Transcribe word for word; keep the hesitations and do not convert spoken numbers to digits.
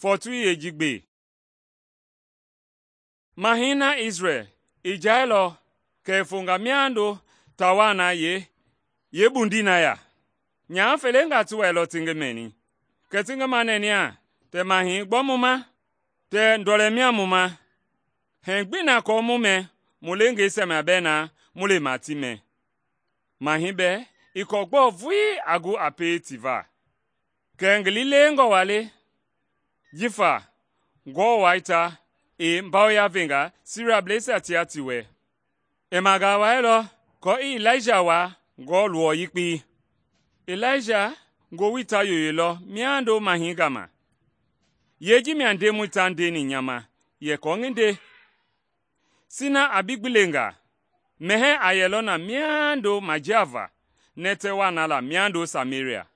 Fɔɔtoi yeeji gbe. Mahɛi na Isrɛl i jailɔ kɛ i fonga miando taa waa na yeekpundii na ya. Nyaha felengaa ti wɛilɔ ti ngi mɛni. Kɛ ti ngi manɛnɛa, tɛ mahɛi gbɔ mu ma? Tɛ ndɔlɛ mia mu ma? Hɛɛ gbii na aako mu mɛ mu leengeisia mia bɛɛ na mu lema ti mɛ. Mahɛi bɛɛ ii kɔɔ gbɔɔ vulii a gu a pie ti va. Kɛɛ ngi liilewengɔ waa le jifa Ngewɔ Wai ta i mbawoya venga Siriablɛisia tia ti wɛ. I magaa wailɔ aako i Ilaija waa Ngewɔ luwɔ yekpei. Ilaija ngowili ta yoyolɔ miando mahɛi gama. Yee ji mia Ndemɔi ta ndeni nya ma yɛ aako ngi nde, sina a bi gbilenga, mɛhɛɛ a yɛlɔ na miando majiava nɛtɛ waa na la miando Sameria.